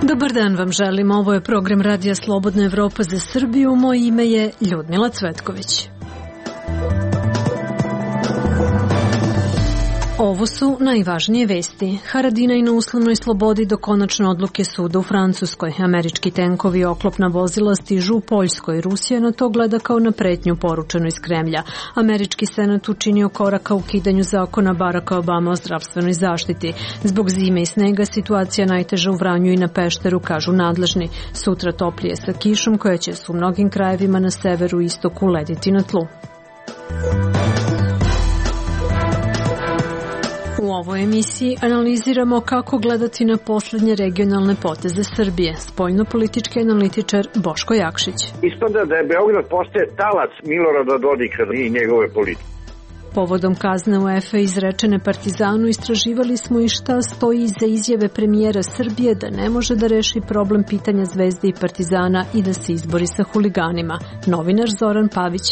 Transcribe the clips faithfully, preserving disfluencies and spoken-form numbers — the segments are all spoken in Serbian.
Dobar dan vam želim, ovo je program Radija Slobodna Evropa za Srbiju, moje ime je Ljudmila Cvetković. Ovo su najvažnije vesti. Haradinaj na uslovnoj slobodi do konačne odluke suda u Francuskoj. Američki tenkovi i oklopna vozila stižu u Poljskoj. Rusija na to gleda kao na pretnju poručenu iz Kremlja. Američki senat učinio korak ka ukidanju zakona Baracka Obama o zdravstvenoj zaštiti. Zbog zime i snega situacija najteža u Vranju i na Pešteru, kažu nadležni. Sutra toplije sa kišom koja će se u mnogim krajevima na severu i istoku lediti na tlu. U ovoj emisiji analiziramo kako gledati na poslednje regionalne poteze Srbije. Spoljnopolitički analitičar Boško Jakšić. Ispada da je Beograd postaje talac Milorada Dodika i njegove politike. Povodom kazne UEFA izrečene Partizanu istraživali smo i šta stoji iza izjave premijera Srbije da ne može da reši problem pitanja Zvezde i Partizana i da se izbori sa huliganima. Novinar Zoran Pavić.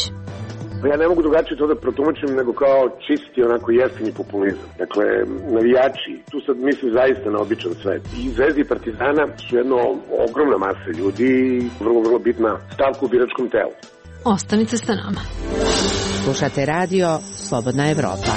Ja ne mogu drugačije to da protumačim nego kao čisti, onako jeftini populizam. Dakle, navijači, tu sad mislim zaista na običan svet. I Zvezda i Partizana su jedno ogromna masa ljudi i vrlo, vrlo bitna stavka u biračkom telu. Ostanite sa nama. Slušate radio Slobodna Evropa.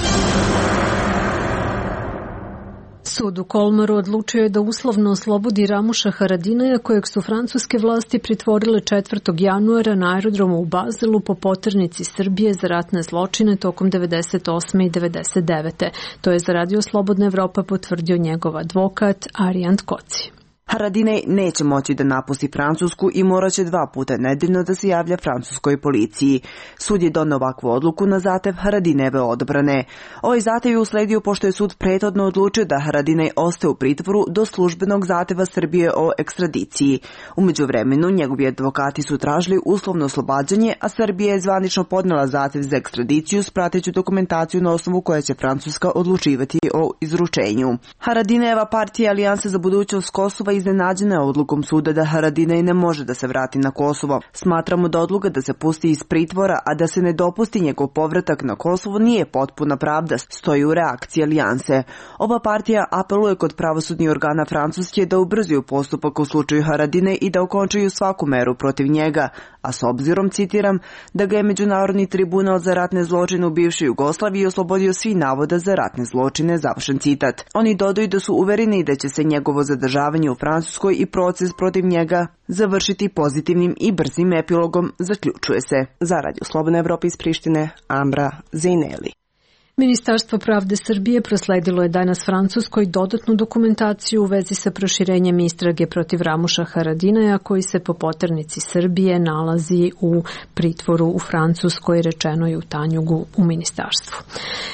Sud u Kolmaru odlučio je da uslovno oslobodi Ramuša Haradinaja, kojeg su francuske vlasti pritvorile četvrtog januara na aerodromu u Bazelu po poternici Srbije za ratne zločine tokom devedeset osme i devedeset devete. To je za radio Slobodna Evropa potvrdio njegov advokat Arijant Koci. Haradinaj neće moći da napusti Francusku i morat će dva puta nedeljno da se javlja francuskoj policiji. Sud je doneo ovakvu odluku na zahtev Haradinajeve odbrane. Ovaj zahtev je usledio pošto je sud prethodno odlučio da Haradinaj ostaje u pritvoru do službenog zahteva Srbije o ekstradiciji. U međuvremenu njegovi advokati su tražili uslovno oslobađanje, a Srbija je zvanično podnela zahtev za ekstradiciju s prateću dokumentaciju na osnovu koje će Francuska odlučivati o izručenju. Haradinajeva partija Alijansa za budućnost Kosova iznenađena je odlukom suda da Haradinaj ne može da se vrati na Kosovo. Smatramo da odluka da se pusti iz pritvora, a da se ne dopusti njegov povratak na Kosovo nije potpuna pravda, stoji u reakciji Alijanse. Ova partija apeluje kod pravosudnih organa Francuske da ubrzaju postupak u slučaju Haradinaj i da okončaju svaku meru protiv njega, a s obzirom, citiram, da ga je Međunarodni tribunal za ratne zločine u bivšoj Jugoslaviji oslobodio svi navoda za ratne zločine, završen citat. Oni dodaju da su uvereni da će se njegovo zadržavanje u Francuskoj i proces protiv njega završiti pozitivnim i brzim epilogom, zaključuje se. Za Radio Slobodna Evropa iz Prištine, Ambra Zejneli. Ministarstvo pravde Srbije prosledilo je danas Francuskoj dodatnu dokumentaciju u vezi sa proširenjem istrage protiv Ramuša Haradinaja, koji se po poternici Srbije nalazi u pritvoru u Francuskoj, rečeno je u Tanjugu u ministarstvu.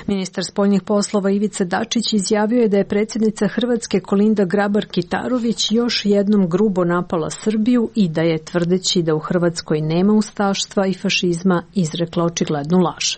Ministar spoljnih poslova Ivica Dačić izjavio je da je predsjednica Hrvatske Kolinda Grabar-Kitarović još jednom grubo napala Srbiju i da je, tvrdeći da u Hrvatskoj nema ustaštva i fašizma, izrekla očiglednu laž.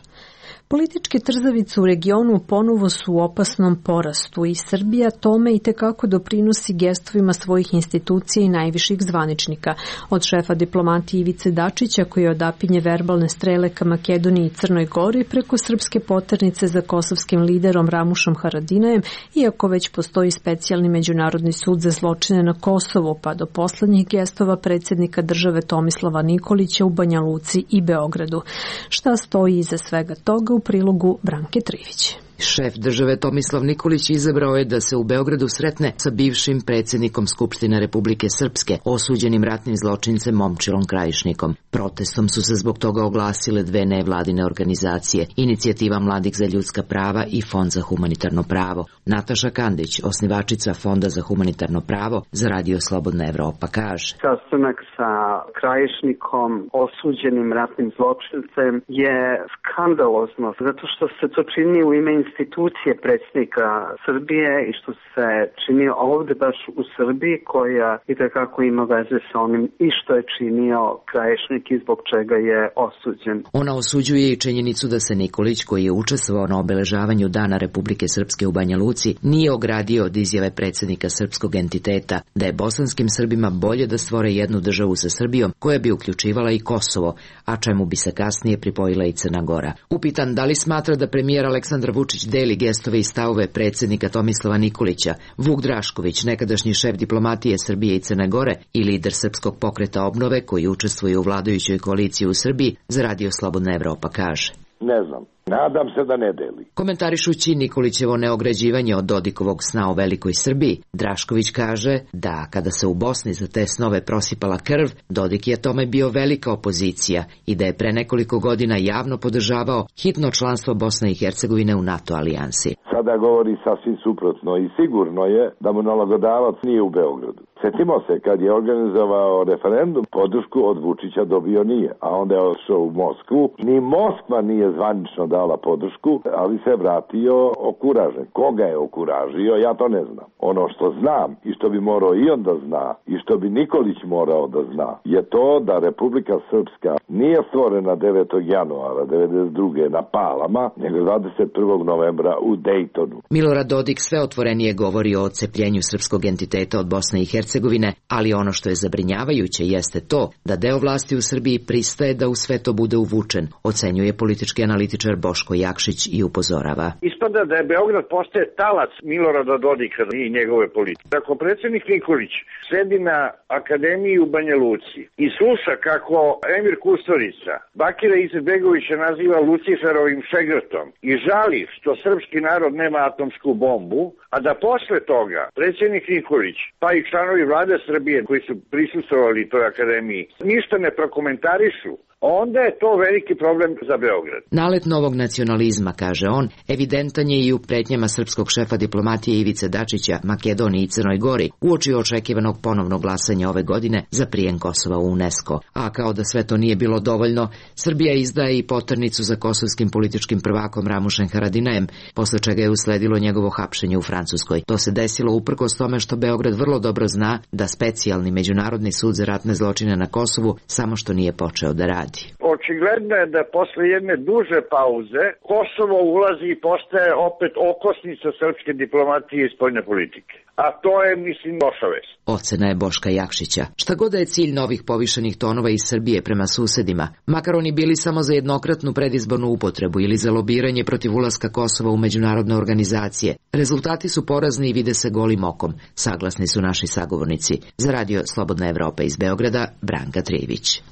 Političke trzavice u regionu ponovo su u opasnom porastu i Srbija tome i tekako doprinosi gestovima svojih institucija i najviših zvaničnika. Od šefa diplomatije Ivice Dačića, koji odapinje verbalne strele ka Makedoniji i Crnoj Gori, preko srpske poternice za kosovskim liderom Ramušom Haradinajem, iako već postoji specijalni međunarodni sud za zločine na Kosovo, pa do poslednjih gestova predsjednika države Tomislava Nikolića u Banja Luci i Beogradu. Šta stoji iza svega toga u prilogu Branke Trivić. Šef države Tomislav Nikolić izabrao je da se u Beogradu sretne sa bivšim predsjednikom Skupštine Republike Srpske, osuđenim ratnim zločincem Momčilom Krajišnikom. Protestom su se zbog toga oglasile dve nevladine organizacije, Inicijativa mladih za ljudska prava i Fond za humanitarno pravo. Nataša Kandić, osnivačica Fonda za humanitarno pravo, za Radio Slobodna Evropa kaže: Sastanak sa Krajišnikom, osuđenim ratnim zločincem, je skandalozno, zato što se to čini u ime institucije predsjednika Srbije i što se činio ovde baš u Srbiji, koja itekako ima veze sa onim i što je činio Krajišnik i zbog čega je osuđen. Ona osuđuje i činjenicu da se Nikolić, koji je učestvovao na obeležavanju Dana Republike Srpske u Banja Luci, nije ogradio od izjave predsjednika srpskog entiteta da je bosanskim Srbima bolje da stvore jednu državu sa Srbijom koja bi uključivala i Kosovo, a čemu bi se kasnije pripojila i Crna Gora. Upitan da li smatra da premijer Aleksandar Vučić deli gestove i stavove predsjednika Tomislava Nikolića, Vuk Drašković, nekadašnji šef diplomatije Srbije i Crne Gore i lider Srpskog pokreta obnove koji učestvuje u vladajućoj koaliciji u Srbiji, za Radio Slobodna Evropa kaže: Ne znam. Nadam se da ne deli. Komentarišući Nikolićevo neograđivanje od Dodikovog sna o velikoj Srbiji, Drašković kaže da kada se u Bosni za te snove prosipala krv, Dodik je tome bio velika opozicija i da je pre nekoliko godina javno podržavao hitno članstvo Bosne i Hercegovine u NATO alijansi. Sada govori sasvim suprotno i sigurno je da mu nalagodavac nije u Beogradu. Sjetimo se kad je organizovao referendum, podršku od Vučića dobio nije, a onda je otišao u Moskvu. Ni Moskva nije zvanično dala podršku, ali se vratio okuražen. Koga je okuražio, ja to ne znam. Ono što znam i što bi morao i on da zna i što bi Nikolić morao da zna je to da Republika Srpska nije stvorena devetog januara devedeset druge na Palama, nego dvadeset prvog novembra u Dejtonu. Milorad Dodik sve otvorenije govori o odcepljenju srpskog entiteta od Bosne i Hercegovine, ali ono što je zabrinjavajuće jeste to da deo vlasti u Srbiji pristaje da u sve to bude uvučen, ocenjuje politički analitičar Boško Jakšić i upozorava. Ispada da je Beograd postaje talac Milorada Dodika i njegove politike. Ako predsjednik Nikolić sedi na akademiji u Banja Luci i sluša kako Emir Kusturica Bakira Izetbegovića naziva Luciferovim šegrtom i žali što srpski narod nema atomsku bombu, a da posle toga predsjednik Nikolić, pa i članovi vlade Srbije koji su prisustvovali toj akademiji, ništa ne prokomentarišu, onda je to veliki problem za Beograd. Nalet novog nacionalizma, kaže on, evidentan je i u pretnjama srpskog šefa diplomatije Ivice Dačića, Makedoniji i Crnoj Gori, uoči očekivanog ponovnog glasanja ove godine za prijem Kosova u UNESCO. A kao da sve to nije bilo dovoljno, Srbija izdaje i poternicu za kosovskim političkim prvakom Ramušem Haradinajem, posle čega je usledilo njegovo hapšenje u Francuskoj. To se desilo uprkos tome što Beograd vrlo dobro zna da specijalni međunarodni sud za ratne zločine na Kosovu samo što nije počeo da radi. Očigledno je da posle jedne duže pauze Kosovo ulazi i postaje opet okosnica srpske diplomatije i spoljne politike. A to je, mislim, loša vest. Ocena je Boška Jakšića. Šta god da je cilj novih povišenih tonova iz Srbije prema susedima, makar oni bili samo za jednokratnu predizbornu upotrebu ili za lobiranje protiv ulaska Kosova u međunarodne organizacije, rezultati su porazni i vide se golim okom, saglasni su naši sagovornici. Za Radio Slobodna Evropa iz Beograda, Branka Trijević.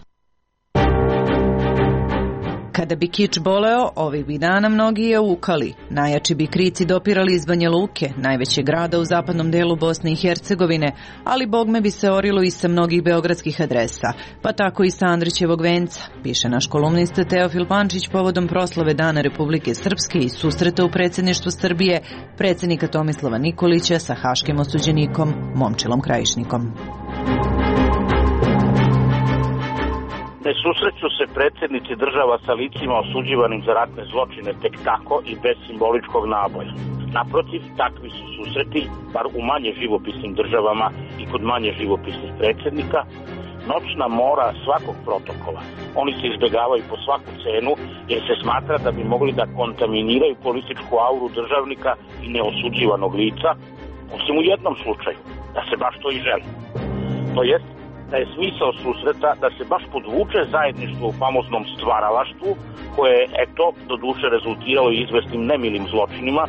Kada bi kič boleo, ovih bi dana mnogi je ukali. Najjači bi krici dopirali iz Banja Luke, najvećeg grada u zapadnom delu Bosne i Hercegovine, ali bogme bi se orilo i sa mnogih beogradskih adresa, pa tako i sa Andrićevog venca, piše naš kolumnista Teofil Pančić povodom proslave Dana Republike Srpske i susreta u predsjedništvu Srbije predsjednika Tomislava Nikolića sa haškim osuđenikom Momčilom Krajišnikom. Ne susreću se predsjednici država sa licima osuđivanim za ratne zločine tek tako i bez simboličkog naboja. Naprotiv, takvi su susreti, bar u manje živopisnim državama i kod manje živopisnih predsjednika, noćna mora svakog protokola. Oni se izbjegavaju po svaku cenu jer se smatra da bi mogli da kontaminiraju političku auru državnika i neosuđivanog lica, osim u jednom slučaju, da se baš to i želi. To jest, da je smisao susreta da se baš podvuče zajedništvo u famoznom stvaralaštvu, koje je, eto, do duše rezultiralo i izvesnim nemilim zločinima,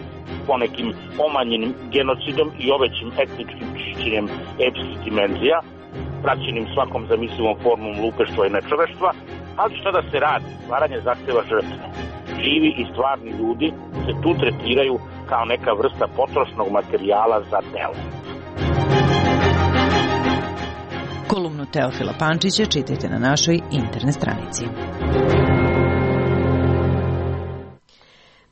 ponekim omanjenim genocidom i ovećim etničkim čišćenjem epskih dimenzija, praćenim svakom zamislivom formom lupeštva i nečoveštva, ali što da se radi, stvaranje zahteva žrtve. Živi i stvarni ljudi se tu tretiraju kao neka vrsta potrošnog materijala za delo. Kolumnu Teofila Pančića čitajte na našoj internet stranici.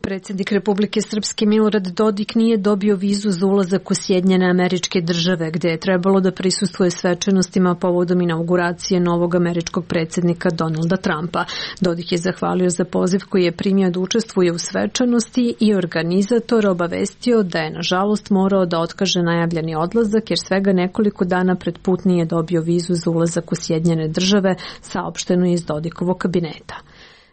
Predsjednik Republike Srpske Milorad Dodik nije dobio vizu za ulazak u Sjedinjene Američke Države, gde je trebalo da prisustvuje svečanostima povodom inauguracije novog američkog predsjednika Donalda Trumpa. Dodik je zahvalio za poziv koji je primio da učestvuje u svečanosti i organizator obavestio da je nažalost morao da otkaže najavljeni odlazak jer svega nekoliko dana pred put nije dobio vizu za ulazak u Sjedinjene Države, saopšteno je iz Dodikovog kabineta.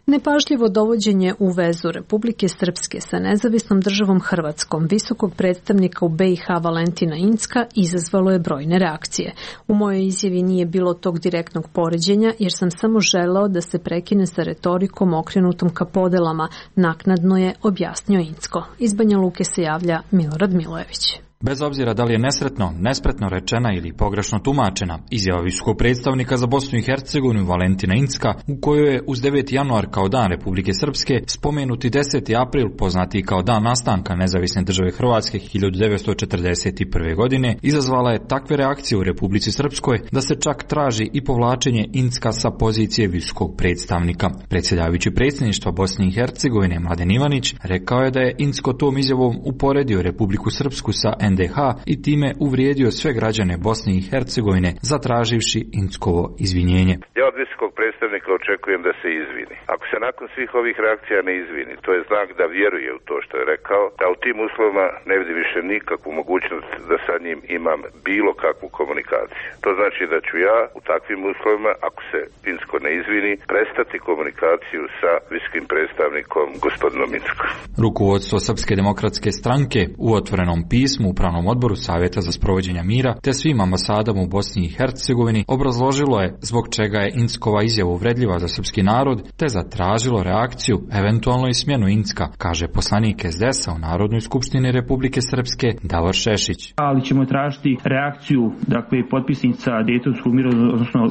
Nepažljivo dovođenje u vezu Republike Srpske sa nezavisnom državom Hrvatskom visokog predstavnika u B i H Valentina Incka izazvalo je brojne reakcije. U mojoj izjavi nije bilo tog direktnog poređenja jer sam samo želeo da se prekine sa retorikom okrenutom ka podelama, naknadno je objasnio Incko. Iz Banja Luke se javlja Milorad Milojević. Bez obzira da li je nesretno, nespretno rečena ili pogrešno tumačena, izjava visokog predstavnika za Bosnu i Hercegovinu Valentina Incka, u kojoj je uz deveti januar kao dan Republike Srpske spomenuti deseti april, poznati kao dan nastanka nezavisne države Hrvatske hiljadu devetsto četrdeset prve. godine, izazvala je takve reakcije u Republici Srpskoj da se čak traži i povlačenje Incka sa pozicije visokog predstavnika. Predsjedavajući predsjedništva Bosne i Hercegovine Mladen Ivanić rekao je da je Incko tom izjavom uporedio Republiku Srpsku sa N D H i time uvrijedio sve građane Bosne i Hercegovine zatraživši Inckovo izvinjenje. Ja od visokog predstavnika očekujem da se izvini. Ako se nakon svih ovih reakcija ne izvini, to je znak da vjeruje u to što je rekao, a u tim uslovima ne vidim više nikakvu mogućnost da sa njim imam bilo kakvu komunikaciju. To znači da ću ja u takvim uslovima, ako se Incko ne izvini, prestati komunikaciju sa visokim predstavnikom gospodinom Inckom. Rukovodstvo Srpske demokratske stranke u otvorenom pismu Upravnom odboru Savjeta za sprovođenje mira te svim ambasadama u Bosni i Hercegovini obrazložilo je zbog čega je Inckova izjava uvredljiva za srpski narod te zatražilo reakciju, eventualno i smjenu Incka, kaže poslanik S D S a u Narodnoj skupštini Republike Srpske Davor Šešić. Ali ćemo tražiti reakciju, dakle, potpisnica Dejtonskog mirovnog, odnosno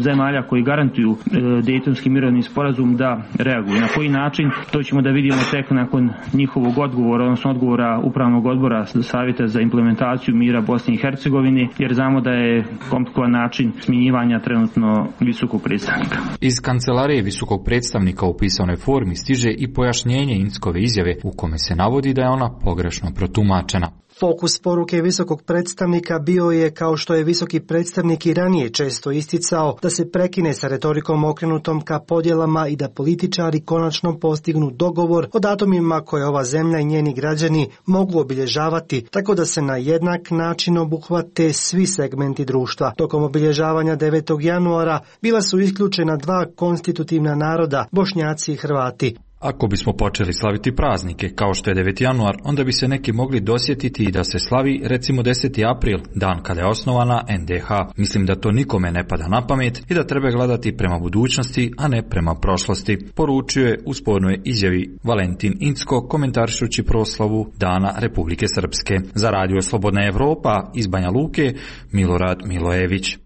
zemalja koji garantuju e, Dejtonski mirovni sporazum da reaguju. Na koji način, to ćemo da vidimo tek nakon njihovog odgovora, odnosno odgovora Upravnog odbora Savjeta za implementaciju mira Bosne i Hercegovine, jer znamo da je komplikovan način smjenjivanja trenutno visokog predstavnika. Iz kancelarije visokog predstavnika u pisanoj formi stiže i pojašnjenje Inckove izjave u kome se navodi da je ona pogrešno protumačena. Fokus poruke visokog predstavnika bio je, kao što je visoki predstavnik i ranije često isticao, da se prekine sa retorikom okrenutom ka podjelama i da političari konačno postignu dogovor o datumima koje ova zemlja i njeni građani mogu obilježavati, tako da se na jednak način obuhvate svi segmenti društva. Tokom obilježavanja devetog januara bila su isključena dva konstitutivna naroda, Bošnjaci i Hrvati. Ako bismo počeli slaviti praznike, kao što je deveti januar, onda bi se neki mogli dosjetiti i da se slavi recimo deseti april, dan kada je osnovana N D H. Mislim da to nikome ne pada na pamet i da treba gledati prema budućnosti, a ne prema prošlosti, poručio je u spornoj izjavi Valentin Incko, komentarišući proslavu Dana Republike Srpske. Za radio Slobodna Evropa iz Banja Luke, Milorad Milojević.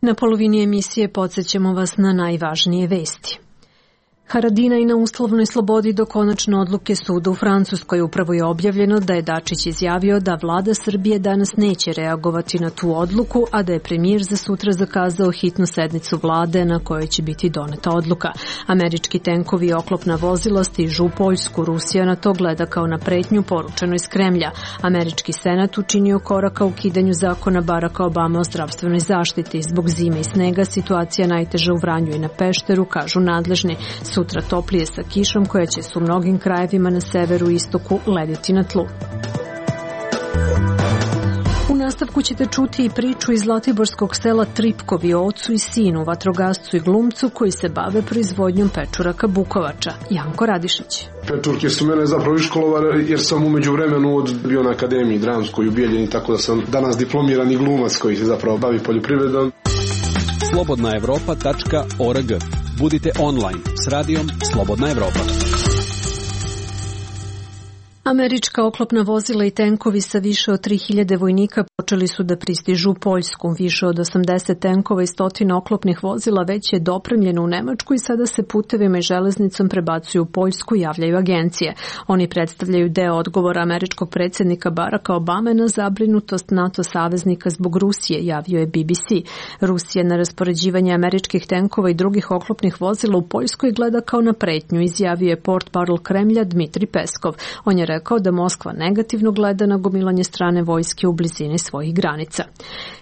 Na polovini emisije podsjećamo vas na najvažnije vesti. Haradinaj na uslovnoj slobodi do konačne odluke suda u Francuskoj. Upravo je objavljeno da je Dačić izjavio da vlada Srbije danas neće reagovati na tu odluku, a da je premijer za sutra zakazao hitnu sednicu vlade na kojoj će biti doneta odluka. Američki tenkovi i oklopna vozila stižu u Poljsku. Rusija na to gleda kao na pretnju poručeno iz Kremlja. Američki senat učinio korak ka ukidanju zakona Baracka Obama o zdravstvenoj zaštiti. Zbog zime i snega situacija najteža u Vranju i na Pešteru, kažu nadležni. Sutra toplije sa kišom koja će se u mnogim krajevima na severu i istoku lediti na tlu. U nastavku ćete čuti i priču iz zlatiborskog sela Tripkovi o ocu i sinu, vatrogascu i glumcu koji se bave proizvodnjom pečuraka Bukovača. Janko Radišić. Pečurke su mene zapravo iškolovane jer sam u međuvremenu od bio na akademiji dramskoj u Bijeljini, tako da sam danas diplomirani glumac koji se zapravo bavi poljoprivredom. slobodna evropa tačka org. Budite online s radijom Slobodna Evropa. Američka oklopna vozila i tenkovi sa više od tri hiljade vojnika počeli su da pristižu u Poljsku. Više od osamdeset tenkova i stotina oklopnih vozila već je dopremljeno u Nemačku i sada se putevima i železnicom prebacuju u Poljsku, javljaju agencije. Oni predstavljaju deo odgovora američkog predsjednika Baracka Obame na zabrinutost NATO saveznika zbog Rusije, javio je B B C. Rusija na raspoređivanje američkih tenkova i drugih oklopnih vozila u Poljskoj gleda kao na pretnju, izjavio je portparol Kremlja Dmitrij Peskov. On je rekao da Moskva negativno gleda na gomilanje strane vojske u blizini svojih granica.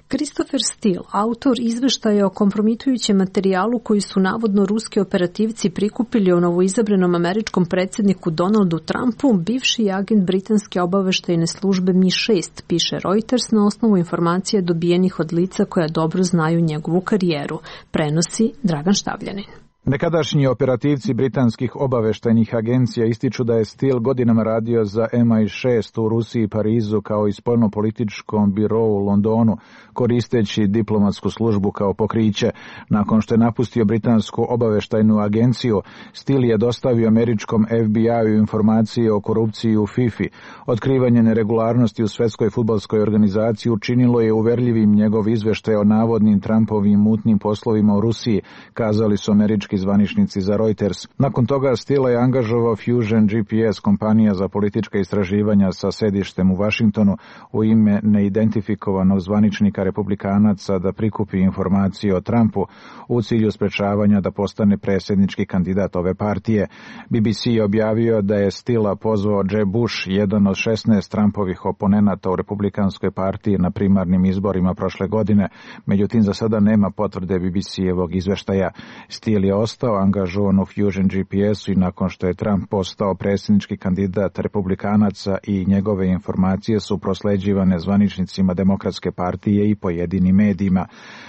Christopher Steele, autor izveštaja o kompromitujućem materijalu koji su navodno ruski operativci prikupili o novoizabranom američkom predsjedniku Donaldu Trumpu, bivši agent britanske obaveštajne službe M I šest, piše Reuters na osnovu informacija dobijenih od lica koja dobro znaju njegovu karijeru. Prenosi Dragan Štavljanin. Nekadašnji operativci britanskih obaveštajnih agencija ističu da je Steele godinama radio za M I šest u Rusiji i Parizu kao i spoljnopolitičkom birou u Londonu, koristeći diplomatsku službu kao pokriće. Nakon što je napustio britansku obaveštajnu agenciju, Steele je dostavio američkom F B I-u informacije o korupciji u FIFA. Otkrivanje neregularnosti u Svetskoj fudbalskoj organizaciji učinilo je uverljivim njegov izveštaj o navodnim Trumpovim mutnim poslovima u Rusiji, kazali su američki zvaničnici za Reuters. Nakon toga Steele je angažovao Fusion G P S, kompanija za politička istraživanja sa sedištem u Vašingtonu, u ime neidentifikovanog zvaničnika republikanaca da prikupi informacije o Trumpu u cilju sprečavanja da postane predsjednički kandidat ove partije. B B C je objavio da je Steele pozvao Jeb Bush, jedan od šesnaest Trumpovih oponenata u republikanskoj partiji na primarnim izborima prošle godine. Međutim, za sada nema potvrde B B C-evog izveštaja. Steele je ostao angažovan u Fusion G P S-u i nakon što je Trump postao predsjednički kandidat republikanaca i njegove informacije su prosleđivane zvaničnicima Demokratske partije i pojedinim medijima.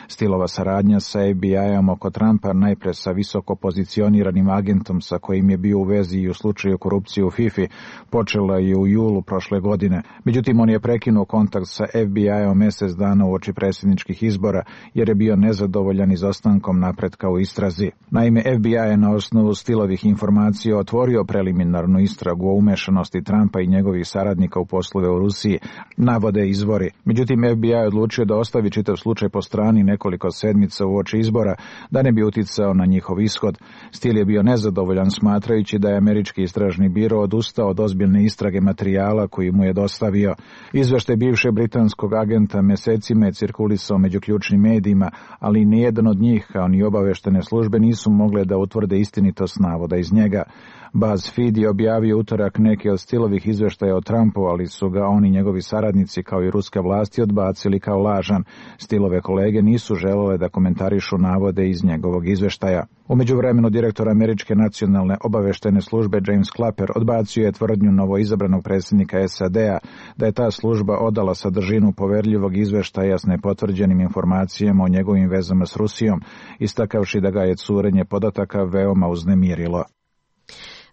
Steelova saradnja sa F B I-om oko Trumpa, najpre sa visoko pozicioniranim agentom sa kojim je bio u vezi i u slučaju korupcije u FIFA, počela je u julu prošle godine. Međutim, on je prekinuo kontakt sa F B I-om mjesec dana uoči predsjedničkih izbora jer je bio nezadovoljan izostankom napretka u istrazi. Naime, F B I je na osnovu Steelovih informacija otvorio preliminarnu istragu o umešanosti Trumpa i njegovih saradnika u poslove u Rusiji, navode izvori. Međutim, F B I je odlučio da ostavi čitav slučaj po strani nekoliko sedmica uoči izbora, da ne bi uticao na njihov ishod. Steele je bio nezadovoljan smatrajući da je američki istražni biro odustao od ozbiljne istrage materijala koji mu je dostavio. Izveštaj bivšeg britanskog agenta mesecima je cirkulisao među ključnim medijima, ali nijedan od njih, kao ni obaveštene službe, nisu mogle da utvrde istinitost navoda iz njega. BuzzFeed je objavio utorak neke od Steelovih izveštaja o Trumpu, ali su ga oni njegovi saradnici kao i ruske vlasti odbacili kao lažan. Steelove kolege nisu želele da komentarišu navode iz njegovog izveštaja. U međuvremenu direktor američke nacionalne obaveštajne službe James Clapper odbacio je tvrdnju novoizabranog predsjednika S A D-a da je ta služba odala sadržinu poverljivog izveštaja s nepotvrđenim informacijama o njegovim vezama s Rusijom, istakavši da ga je curenje podataka veoma uznemirilo.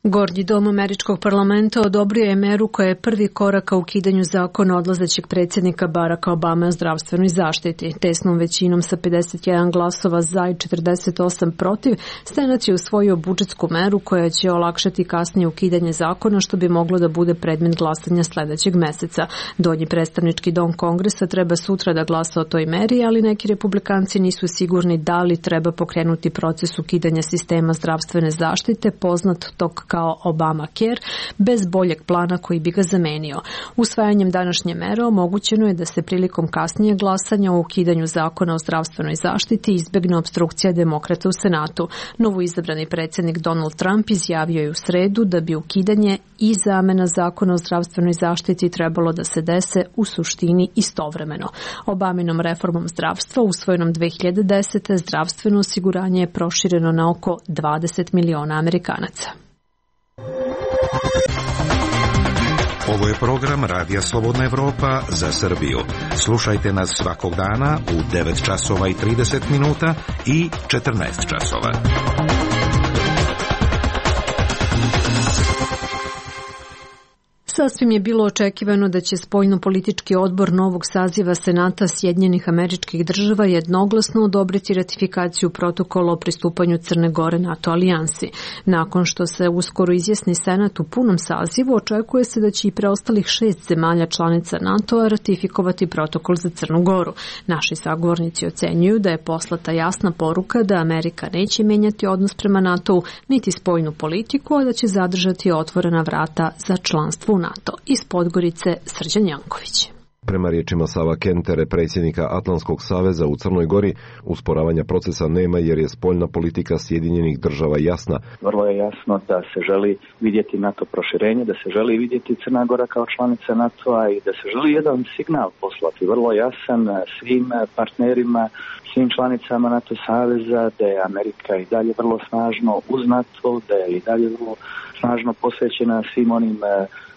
Gornji dom američkog parlamenta odobrio je meru koja je prvi korak ka ukidanju zakona odlazećeg predsjednika Baracka Obame o zdravstvenoj zaštiti. Tesnom većinom sa pedeset jedan glasova za i četrdeset osam protiv, Senat je usvojio budžetsku meru koja će olakšati kasnije ukidanje zakona, što bi moglo da bude predmet glasanja sledećeg meseca. Donji predstavnički dom Kongresa treba sutra da glasa o toj meri, ali neki republikanci nisu sigurni da li treba pokrenuti proces ukidanja sistema zdravstvene zaštite, poznat tog kao Obamacare, bez boljeg plana koji bi ga zamenio. Usvajanjem današnje mere omogućeno je da se prilikom kasnije glasanja o ukidanju zakona o zdravstvenoj zaštiti izbegne opstrukcija demokrata u Senatu. Novoizabrani predsjednik Donald Trump izjavio je u sredu da bi ukidanje i zamena zakona o zdravstvenoj zaštiti trebalo da se dese u suštini istovremeno. Obaminom reformom zdravstva usvojenom dve hiljade desete. zdravstveno osiguranje je prošireno na oko dvadeset miliona Amerikanaca. Ovo je program Radija Slobodna Evropa za Srbiju. Slušajte nas svakog dana u devet časova i trideset minuta i četrnaest časova. Sasvim je bilo očekivano da će spoljno-politički odbor novog saziva Senata Sjedinjenih Američkih Država jednoglasno odobriti ratifikaciju protokola o pristupanju Crne Gore NATO alijansi. Nakon što se uskoro izjasni Senat u punom sazivu, očekuje se da će i preostalih šest zemalja članica NATO-a ratifikovati protokol za Crnu Goru. Naši sagovornici ocenjuju da je poslata jasna poruka da Amerika neće menjati odnos prema NATO-u niti spoljnu politiku, a da će zadržati otvorena vrata za članstvo u NATO. Iz Podgorice Srđan Janković. Prema riječima Sava Kentere, predsjednika Atlantskog saveza u Crnoj Gori, usporavanja procesa nema jer je spoljna politika Sjedinjenih Država jasna. Vrlo je jasno da se želi vidjeti NATO proširenje, da se želi vidjeti Crna Gora kao članica NATO-a i da se želi jedan signal poslati, vrlo jasan svim partnerima, svim članicama NATO saveza, da je Amerika i dalje vrlo snažno uz NATO, da je i dalje vrlo snažno posvećena svim onim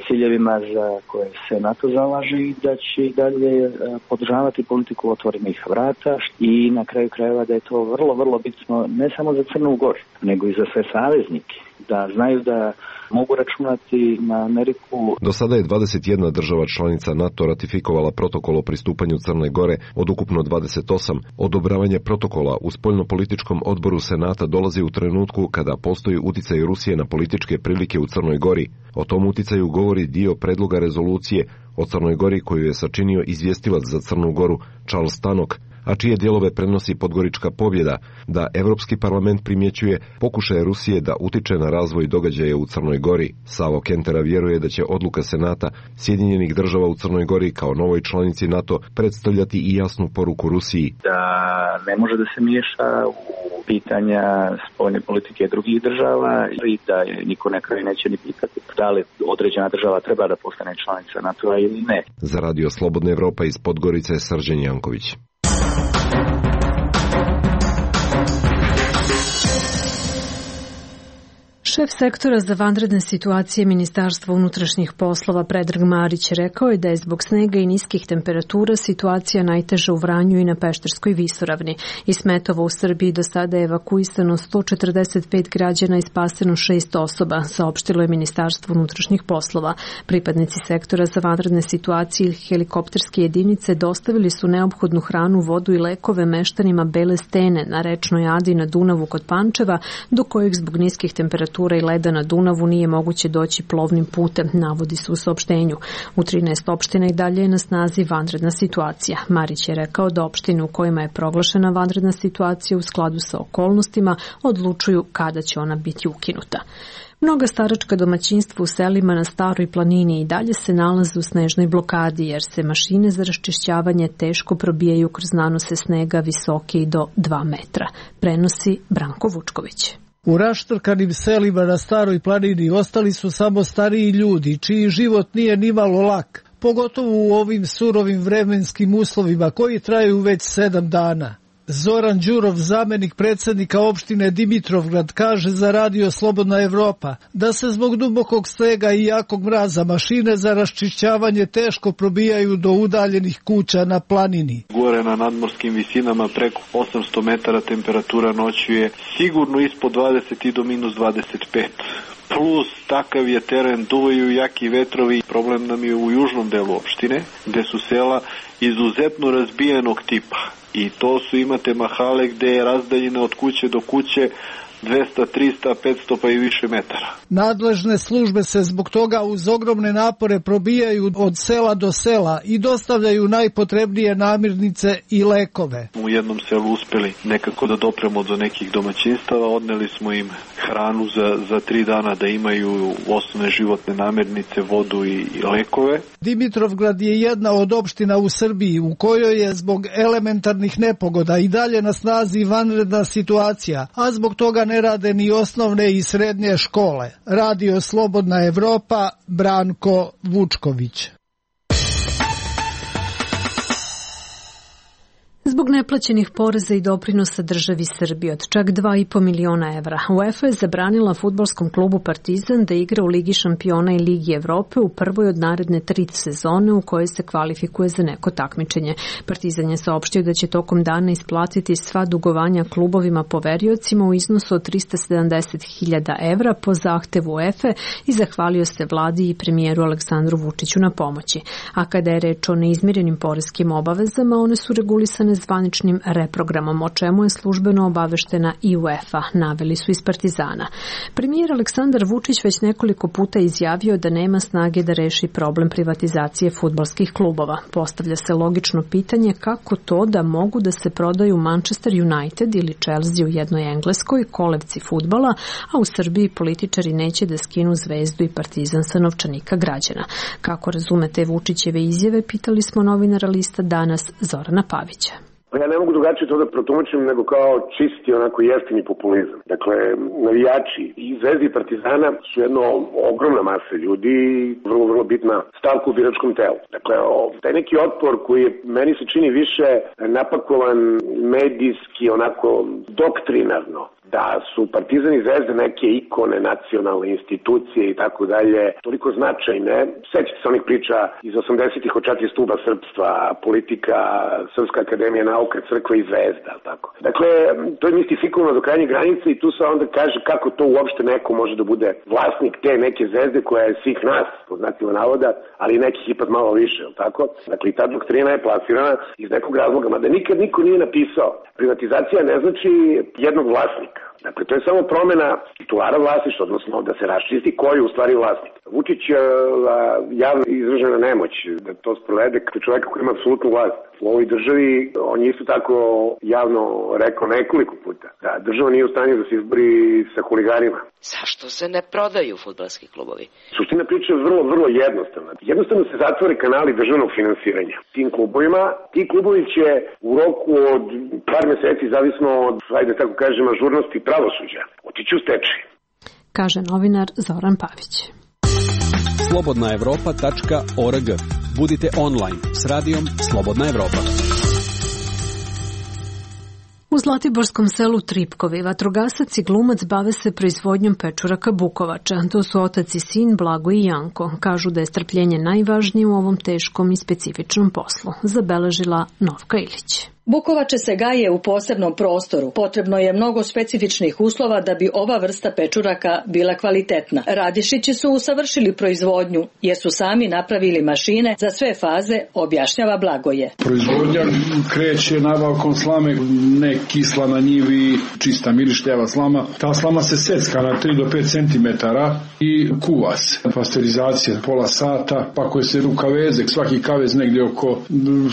ciljevima za koje se NATO zalaže i da će i dalje podržavati politiku otvorenih vrata i na kraju krajeva da je to vrlo, vrlo bitno ne samo za Crnu Goru, nego i za sve saveznike, da znaju da mogu računati na Ameriku. Do sada je dvadeset jedna država članica NATO ratifikovala protokol o pristupanju Crne Gore od ukupno dvadeset osam. Odobravanje protokola u spoljnopolitičkom odboru Senata dolazi u trenutku kada postoji uticaj Rusije na političke prilike u Crnoj Gori. O tom uticaju govori dio predloga rezolucije o Crnoj Gori koju je sačinio izvjestilac za Crnu Goru Charles Tannock, a čije dijelove prenosi Podgorička pobjeda, da Evropski parlament primjećuje pokušaje Rusije da utiče na razvoj događaja u Crnoj Gori. Savo Kentera vjeruje da će odluka Senata Sjedinjenih Država u Crnoj Gori kao novoj članici NATO predstavljati i jasnu poruku Rusiji. Da ne može da se miješa u pitanja spoljne politike drugih država i da je niko na kraju neće ni pitati da li određena država treba da postane članica NATO-a ili ne. Za Radio Slobodna Evropa iz Podgorice Srđan Janković. Šef sektora za vanredne situacije Ministarstva unutrašnjih poslova Predrag Marić rekao je da je zbog snega i niskih temperatura situacija najteža u Vranju i na Pešterskoj visoravni. Iz Smetova u Srbiji do sada je evakuisano sto četrdeset pet građana i spaseno šest osoba, saopštilo je Ministarstvo unutrašnjih poslova. Pripadnici sektora za vanredne situacije i helikopterske jedinice dostavili su neophodnu hranu, vodu i lekove meštanima Bele Stene na rečnoj Adi na Dunavu kod Pančeva, do kojeg zbog niskih temperatura i leda na Dunavu nije moguće doći plovnim putem, navodi se u saopštenju. U trinaest opština i dalje je na snazi vanredna situacija. Marić je rekao da opštine u kojima je proglašena vanredna situacija u skladu sa okolnostima odlučuju kada će ona biti ukinuta. Mnoga staračka domaćinstva u selima na Staroj planini i dalje se nalaze u snežnoj blokadi jer se mašine za raščišćavanje teško probijaju kroz nanose snega visoke i do dva metra. Prenosi Branko Vučković. U raštrkanim selima na Staroj planini ostali su samo stariji ljudi, čiji život nije nimalo lak, pogotovo u ovim surovim vremenskim uslovima koji traju već sedam dana. Zoran Đurov, zamenik predsjednika opštine Dimitrovgrad, kaže za Radio Slobodna Evropa da se zbog dubokog snega i jakog mraza mašine za raščišćavanje teško probijaju do udaljenih kuća na planini. Gore na nadmorskim visinama preko osamsto metara temperatura noću je sigurno ispod dvadeset i do minus dvadeset pet. Plus takav je teren, duvaju jaki vetrovi. Problem nam je u južnom delu opštine, gde su sela izuzetno razbijenog tipa. I to su, imate mahale gde je razdaljina od kuće do kuće dvesta, trista, petsto pa i više metara. Nadležne službe se zbog toga uz ogromne napore probijaju od sela do sela i dostavljaju najpotrebnije namirnice i lekove. U jednom selu uspeli nekako da dopremo do nekih domaćinstava, odneli smo im hranu za, za tri dana da imaju osnovne životne namirnice, vodu i, i lekove. Dimitrovgrad je jedna od opština u Srbiji u kojoj je zbog elementarnih nepogoda i dalje na snazi vanredna situacija, a zbog toga ne rade ni osnovne i srednje škole. Radio Slobodna Evropa, Branko Vučković. Zbog neplaćenih poreza i doprinosa državi Srbije od čak dva i po miliona evra, UEFA je zabranila fudbalskom klubu Partizan da igra u Ligi šampiona i Ligi Evrope u prvoj od naredne tri sezone u kojoj se kvalifikuje za neko takmičenje. Partizan je saopštio da će tokom dana isplatiti sva dugovanja klubovima poveriocima u iznosu od trista sedamdeset hiljada evra po zahtevu UEFA i zahvalio se vladi i premijeru Aleksandru Vučiću na pomoći. A kada je reč o neizmirenim poreskim obavezama, one su regulisane zvaničnim reprogramom, o čemu je službeno obaveštena i UEFA, naveli su iz Partizana. Premijer Aleksandar Vučić već nekoliko puta izjavio da nema snage da reši problem privatizacije fudbalskih klubova. Postavlja se logično pitanje kako to da mogu da se prodaju Manchester United ili Chelsea u jednoj Engleskoj, kolevci fudbala, a u Srbiji političari neće da skinu Zvezdu i Partizan sa novčanika građana. Kako razumete Vučićeve izjave, pitali smo novinara lista Danas Zorana Pavića. Ja ne mogu drugačije to da protumačim nego kao čisti onako jeftini populizam. Dakle, navijači i Zvezde i Partizana su jedno ogromna masa ljudi i vrlo, vrlo bitna stavka u biračkom telu. Dakle, taj neki otpor koji je, meni se čini više napakovan medijski, onako doktrinarno, da su Partizan i Zvezda neke ikone, nacionalne institucije i tako dalje, toliko značajne. Sećate se onih priča iz osamdesetih od četiri stuba srpstva, politika, Srpska akademija nauka, crkva i zvezda, tako. Dakle, to je mistifikovano do krajnje granice i tu se onda kaže kako to uopšte neko može da bude vlasnik te neke zvezde koja je svih nas, po znacima navoda, ali nekih ipak malo više, je li tako? Dakle, i ta doktrina je plasirana iz nekog razloga, mada nikad niko nije napisao. Privatizacija ne znači jednog vlasnika. Dakle, to je samo promena titulara vlasništva, odnosno da se raščisti ko je u stvari vlasnik. Vučić je javno izražena nemoć da to sprovede kao čoveka koji ima apsolutnu vlast u ovoj državi. On je isto tako javno rekao nekoliko puta da država nije u stanju da se izbori sa huliganima. Zašto se ne prodaju fudbalski klubovi? Suština priče je vrlo, vrlo jednostavna. Jednostavno se zatvore kanali državnog finansiranja tim klubovima. Ti klubovi će u roku od par meseci, zavisno od, ajde tako kažem, ažurnosti pravosuđa, otići u stečaj. Kaže novinar Zoran Pavić. slobodna evropa tačka org. Budite online s radijom Slobodna Evropa. U zlatiborskom selu Tripkovi vatrogasac i glumac bave se proizvodnjom pečuraka bukovača. To su otac i sin Blago i Janko. Kažu da je strpljenje najvažnije u ovom teškom i specifičnom poslu. Zabeležila Novka Ilić. Bukovače se gaje u posebnom prostoru. Potrebno je mnogo specifičnih uslova da bi ova vrsta pečuraka bila kvalitetna. Radišići su usavršili proizvodnju jer su sami napravili mašine za sve faze, objašnjava Blagoje. Proizvodnja kreće nabavkom slame, ne kisla na njivi, čista mirištljava slama. Ta slama se secka na tri do pet centimetara i kuva se. Pasterizacija pola sata, pa koje se u kavezek, svaki kavez negdje oko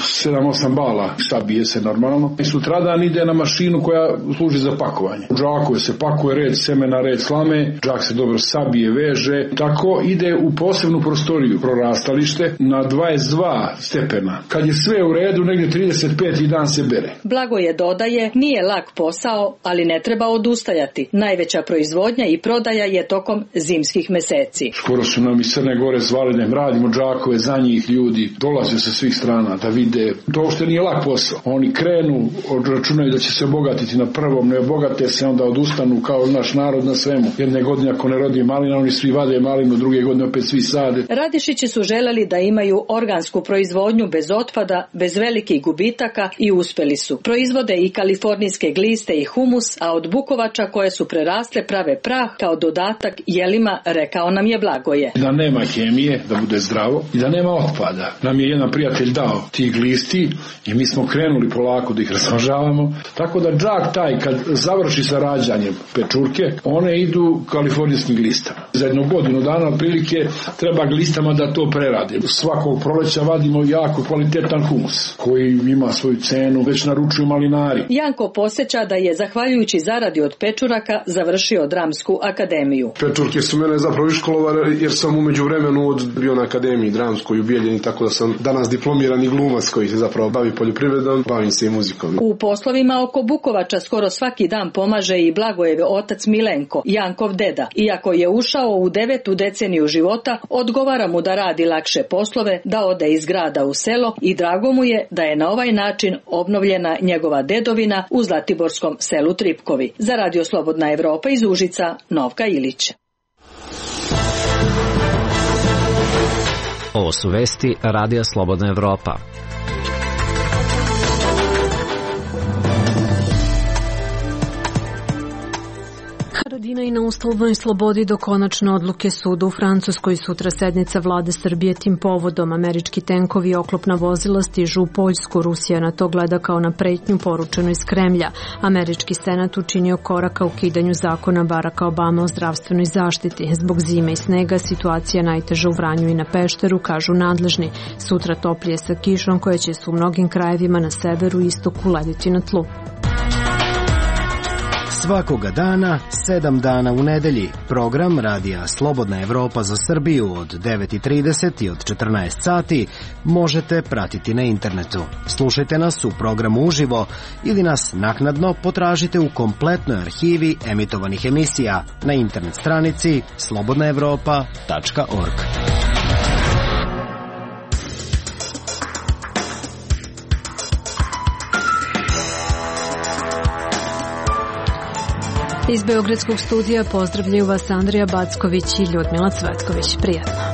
sedam osam bala, sabije se normalno. I sutradan ide na mašinu koja služi za pakovanje. U džakove se pakuje red semena, red slame, džak se dobro sabije, veže. Tako ide u posebnu prostoriju, prorastalište, na dvadeset dva stepena. Kad je sve u redu, negdje trideset peti dan se bere. Blagoje dodaje, nije lak posao, ali ne treba odustajati. Najveća proizvodnja i prodaja je tokom zimskih meseci. Skoro su nam iz Crne Gore zvali da im radimo džakove za njih, ljudi dolaze sa svih strana da vide. To što nije lak posao. Oni krenu, računaju da će se obogatiti na prvom, ne obogate se, onda odustanu kao naš narod na svemu. Jedne godine ako ne rodi malina, oni svi vade malinu, druge godine opet svi sade. Radišići su želeli da imaju organsku proizvodnju bez otpada, bez velikih gubitaka i uspeli su. Proizvode i kalifornijske gliste i humus, a od bukovača koje su prerasle prave prah kao dodatak jelima, rekao nam je Blagoje. Da nema hemije, da bude zdravo i da nema otpada. Nam je jedan prijatelj dao tih glisti i mi smo krenuli polako da ih razmažavamo. Tako da džak taj kad završi sa rađanjem pečurke, one idu kalifornijskim glistama. Za jednu godinu dana otprilike treba glistama da to preradi. Svakog proleća vadimo jako kvalitetan humus koji ima svoju cenu, već naručuju malinari. Janko posjeća da je zahvaljujući zaradi od pečuraka završio Dramsku akademiju. Pečurke su mene zapravo iškolovale jer sam umeđu vremenu od bio na akademiji Dramskoj u Bijeljini, tako da sam danas diplomirani glumac koji se zapravo bavi poljoprivredom, bavim se i muzikom. U poslovima oko Bukovača skoro svaki dan pomaže i Blagojev otac Milenko, Jankov deda. Iako je ušao u devetu deceniju života, odgovara mu da radi lakše poslove, da ode iz grada u selo i drago mu je da je na ovaj način obnovljena njegova dedovina u zlatiborskom selu Tripkovi. Za Radio Slobodna Evropa iz Užica, Novka Ilić. Ovo su vesti Radija Slobodna Evropa. Haradinaj na uslovnoj slobodi do konačne odluke suda u Francuskoj. Sutra sednica vlade Srbije tim povodom. Američki tenkovi i oklopna vozila stižu u Poljsku. Rusija na to gleda kao na pretnju poručenu iz Kremlja. Američki senat učinio korak ka ukidanju zakona Baracka Obame o zdravstvenoj zaštiti. Zbog zime i snega situacija najteža u Vranju i na Pešteru, kažu nadležni. Sutra toplije sa kišom koja će se u mnogim krajevima na severu i istoku lediti na tlu. Svakoga dana, sedam dana u nedelji. Program Radija Slobodna Evropa za Srbiju od devet i trideset i od četrnaest sati možete pratiti na internetu. Slušajte nas u programu uživo ili nas naknadno potražite u kompletnoj arhivi emitovanih emisija na internet stranici slobodna evropa tačka org. Iz Beogradskog studija pozdravljaju vas Andrija Backović i Ljudmila Cvetković. Prijatno.